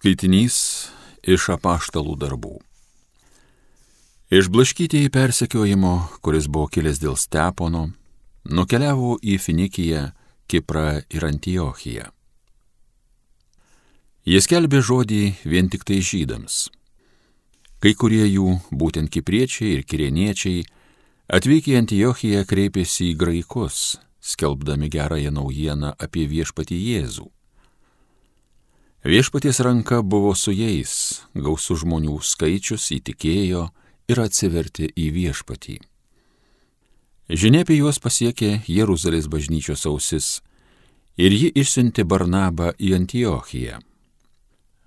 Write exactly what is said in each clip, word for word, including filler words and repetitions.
Skaitinys iš apaštalų darbų. Išblaškytieji persekiojimo, kuris buvo kilęs dėl Stepono, nukeliavo į Finikiją, Kiprą ir Antiochiją. Jie skelbė žodį vien tik tai žydams. Kai kurie jų, būtent kipriečiai ir kirėniečiai, atvykę į Antiochiją kreipėsi į graikus, skelbdami gerąją naujieną apie viešpatį Jėzų. Viešpaties ranka buvo su jais, gausų žmonių skaičius įtikėjo ir atsivertė į viešpatį. Žinia apie juos pasiekė Jeruzalės bažnyčios ausis ir ji išsiuntė Barnabą į Antiochiją.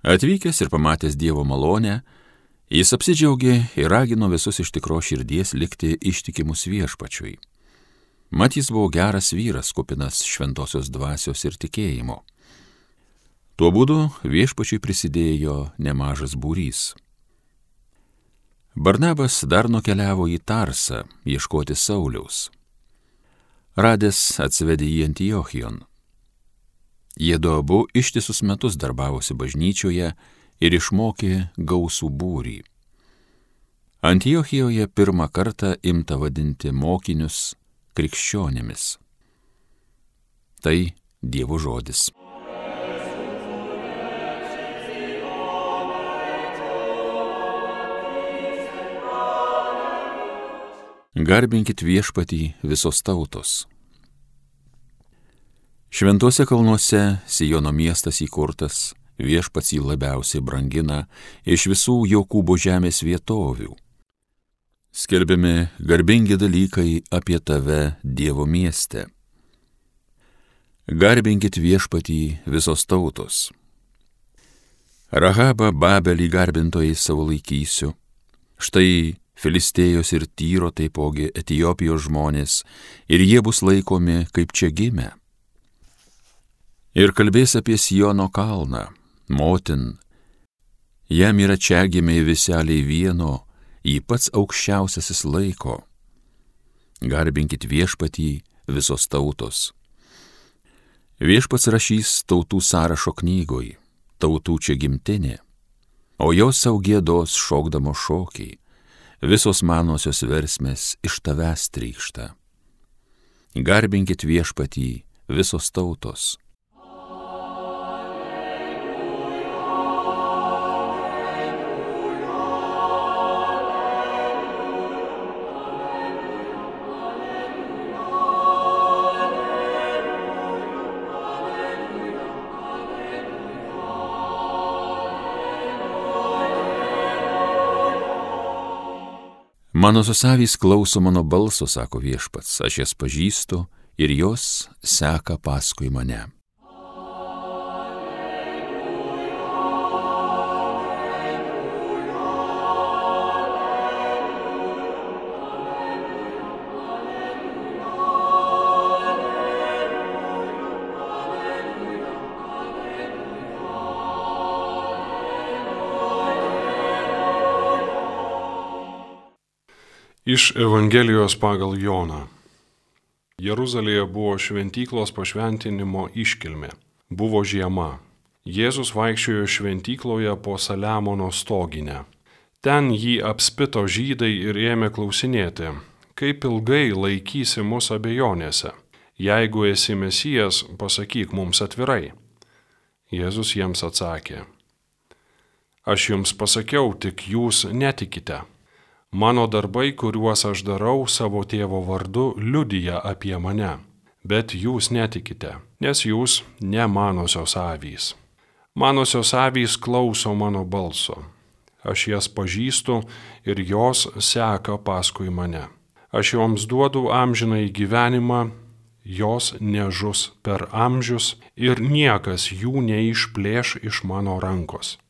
Atvykęs ir pamatęs Dievo malonę, jis apsidžiaugė ir ragino visus iš tikros širdies likti ištikimus viešpačiui. Mat jis buvo geras vyras, kupinas šventosios dvasios ir tikėjimo. Tuo būdu viešpačiui prisidėjo nemažas būrys. Barnabas dar nukeliavo į Tarsą ieškoti Sauliaus. Radęs atsivedė į Antiochijon. Jie du abu ištisus metus darbavosi bažnyčioje ir išmokė gausų būrį. Antiochijoje pirmą kartą imta vadinti mokinius krikščionimis. Tai Dievo žodis. Garbinkit viešpatį visos tautos. Šventuose kalnuose Siono miestas įkurtas, viešpats jį labiausiai brangina iš visų Jokūbo žemės vietovių. Skelbiami garbingi dalykai apie tave Dievo mieste. Garbinkit viešpatį visos tautos. Rahabą Babelį garbintojai savo laikysiu. Štai Filistėjos ir Tyro taipogi Etiopijos žmonės, ir jie bus laikomi kaip čia gimę. Ir kalbės apie Siono kalną, motin, jam yra čia gimiai viseliai vieno, jį pats aukščiausiasis laiko. Garbinkit viešpatį visos tautos. Viešpats rašys tautų sąrašo knygoj, tautų čia gimtinė, o jos sau giedos šokdamo šokiai. Visos manosios versmės iš tavęs trykšta. Garbinkit viešpatį visos tautos. Manosios avys klauso mano balso, sako viešpats, aš jas pažįstu ir jos seka paskui mane. Iš Evangelijos pagal Joną. Jeruzalėje buvo šventyklos pašventinimo iškilmė. Buvo žiema. Jėzus vaikščiojo šventykloje po Saliamono stoginę. Ten jį apspito žydai ir ėmė klausinėti, kaip ilgai laikysi mus abejonėse. Jeigu esi Mesijas, pasakyk mums atvirai. Jėzus jiems atsakė, aš jums pasakiau, tik jūs netikite. Mano darbai, kuriuos aš darau savo tėvo vardu, liudija apie mane, bet jūs netikite, nes jūs ne manosios avys. Manosios avys klauso mano balso. Aš jas pažįstu ir jos seka paskui mane. Aš joms duodu amžinąjį gyvenimą, jos nežus per amžius ir niekas jų neišplėš iš mano rankos.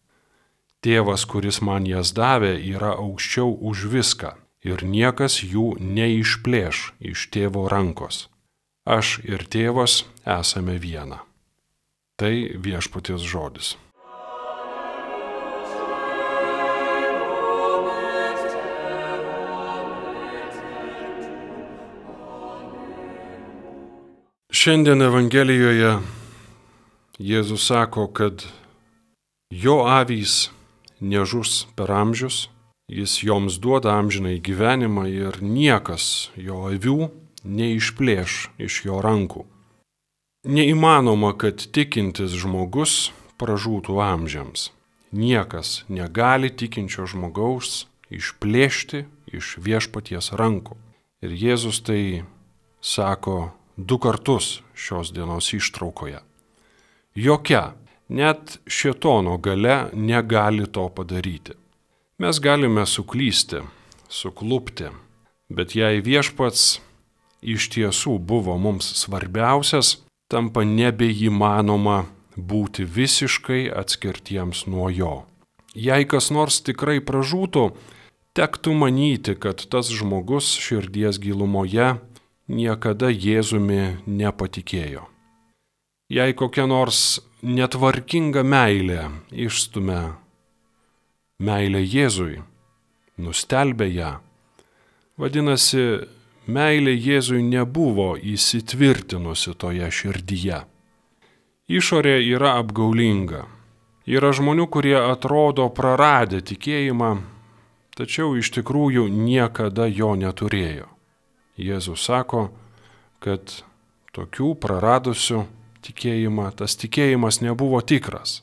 Tėvas, kuris man jas davė, yra aukščiau už viską ir niekas jų neišplėš iš tėvo rankos. Aš ir tėvas esame viena. Tai viešpaties žodis. Šiandien Evangelijoje Jėzus sako, kad Jo avys nežus per amžius, jis joms duoda amžinai gyvenimą ir niekas jo avių neišplėš iš jo rankų. Neįmanoma, kad tikintis žmogus pražūtų amžiams. Niekas negali tikinčio žmogaus išplėšti iš viešpaties rankų. Ir Jėzus tai sako du kartus šios dienos ištraukoje. Jokia, net šėtono galia negali to padaryti. Mes galime suklysti, suklupti, bet jei viešpats iš tiesų buvo mums svarbiausias, tampa nebeįmanoma būti visiškai atskirtiems nuo jo. Jei kas nors tikrai pražūtų, tektų manyti, kad tas žmogus širdies gilumoje niekada Jėzumi nepatikėjo. Jei kokia nors netvarkinga meilė išstumia meilę Jėzui, nustelbė ją, vadinasi, meilė Jėzui nebuvo įsitvirtinusi toje širdyje. Išorė yra apgaulinga. Yra žmonių, kurie atrodo praradę tikėjimą, tačiau iš tikrųjų niekada jo neturėjo. Jėzus sako, kad tokių praradusių tikėjimą, tas tikėjimas nebuvo tikras.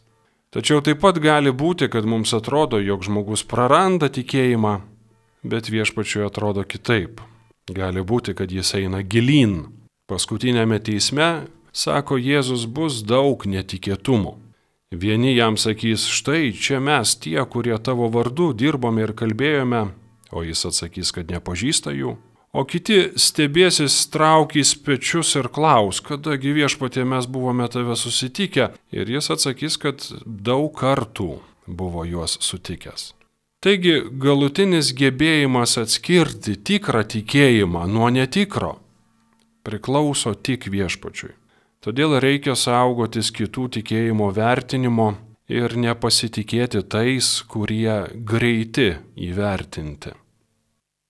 Tačiau taip pat gali būti, kad mums atrodo, jog žmogus praranda tikėjimą, bet viešpačiui atrodo kitaip. Gali būti, kad jis eina gilyn. Paskutinėme teisme, sako Jėzus, bus daug netikėtumų. Vieni jam sakys, štai čia mes tie, kurie tavo vardu dirbome ir kalbėjome, o jis atsakys, kad nepažįsta jų. O kiti stebėsis, traukys pečius ir klaus, kadagi viešpatie mes buvome tave susitikę. Ir jis atsakys, kad daug kartų buvo juos sutikęs. Taigi galutinis gebėjimas atskirti tikrą tikėjimą nuo netikro priklauso tik viešpačiui. Todėl reikia saugotis kitų tikėjimo vertinimo ir nepasitikėti tais, kurie greiti įvertinti.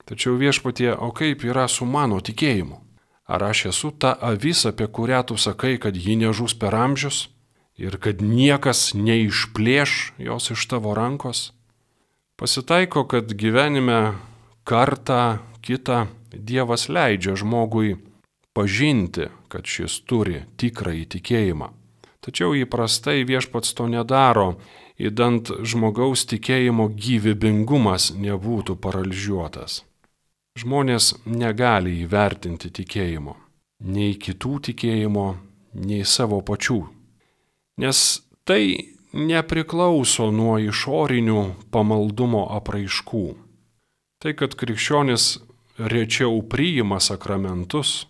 Tačiau viešpatie, o kaip yra su mano tikėjimu? Ar aš esu ta avis, apie kurią tu sakai, kad ji nežus per amžius ir kad niekas neišplėš jos iš tavo rankos? Pasitaiko, kad gyvenime kartą kitą Dievas leidžia žmogui pažinti, kad šis turi tikrąjį tikėjimą. Tačiau įprastai viešpats to nedaro, idant žmogaus tikėjimo gyvybingumas nebūtų paralyžiuotas. Žmonės negali įvertinti tikėjimo, nei kitų tikėjimo, nei savo pačių, nes tai nepriklauso nuo išorinių pamaldumo apraiškų. Tai, kad krikščionis rečiau priima sakramentus,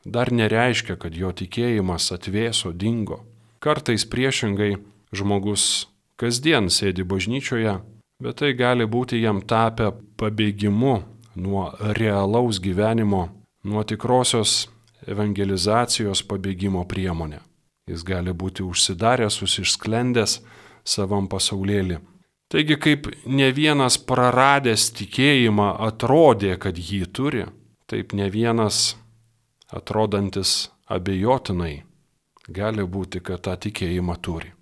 dar nereiškia, kad jo tikėjimas atvėso, dingo. Kartais priešingai žmogus kasdien sėdi bažnyčioje, bet tai gali būti jam tapę pabėgimu nuo realaus gyvenimo, nuo tikrosios evangelizacijos pabėgimo priemonė. Jis gali būti užsidaręs, užsisklendęs savam pasaulėlį. Taigi, kaip ne vienas praradęs tikėjimą atrodė, kad jį turi, taip ne vienas atrodantis abejotinai gali būti, kad tą tikėjimą turi.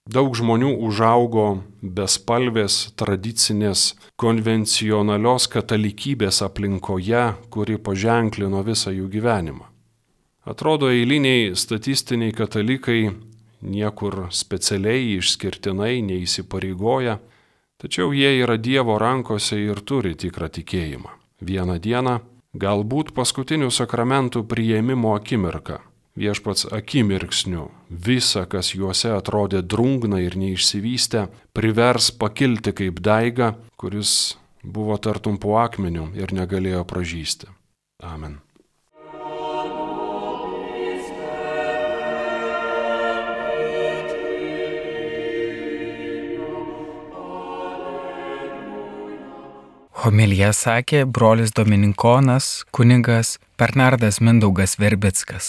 Daug žmonių užaugo bespalvės, tradicinės, konvencionalios katalikybės aplinkoje, kuri paženklino visą jų gyvenimą. Atrodo, eiliniai statistiniai katalikai niekur specialiai išskirtinai neįsipareigoja, tačiau jie yra Dievo rankose ir turi tikrą tikėjimą. Vieną dieną, galbūt paskutinių sakramentų priėmimo akimirką, viešpats akimirksniu visa, kas juose atrodė drungna ir neišsivystę, privers pakilti kaip daiga, kuris buvo tartum po akmeniu ir negalėjo pražysti. Amen. Homiliją sakė brolis dominikonas kunigas Bernardas Mindaugas Verbickas.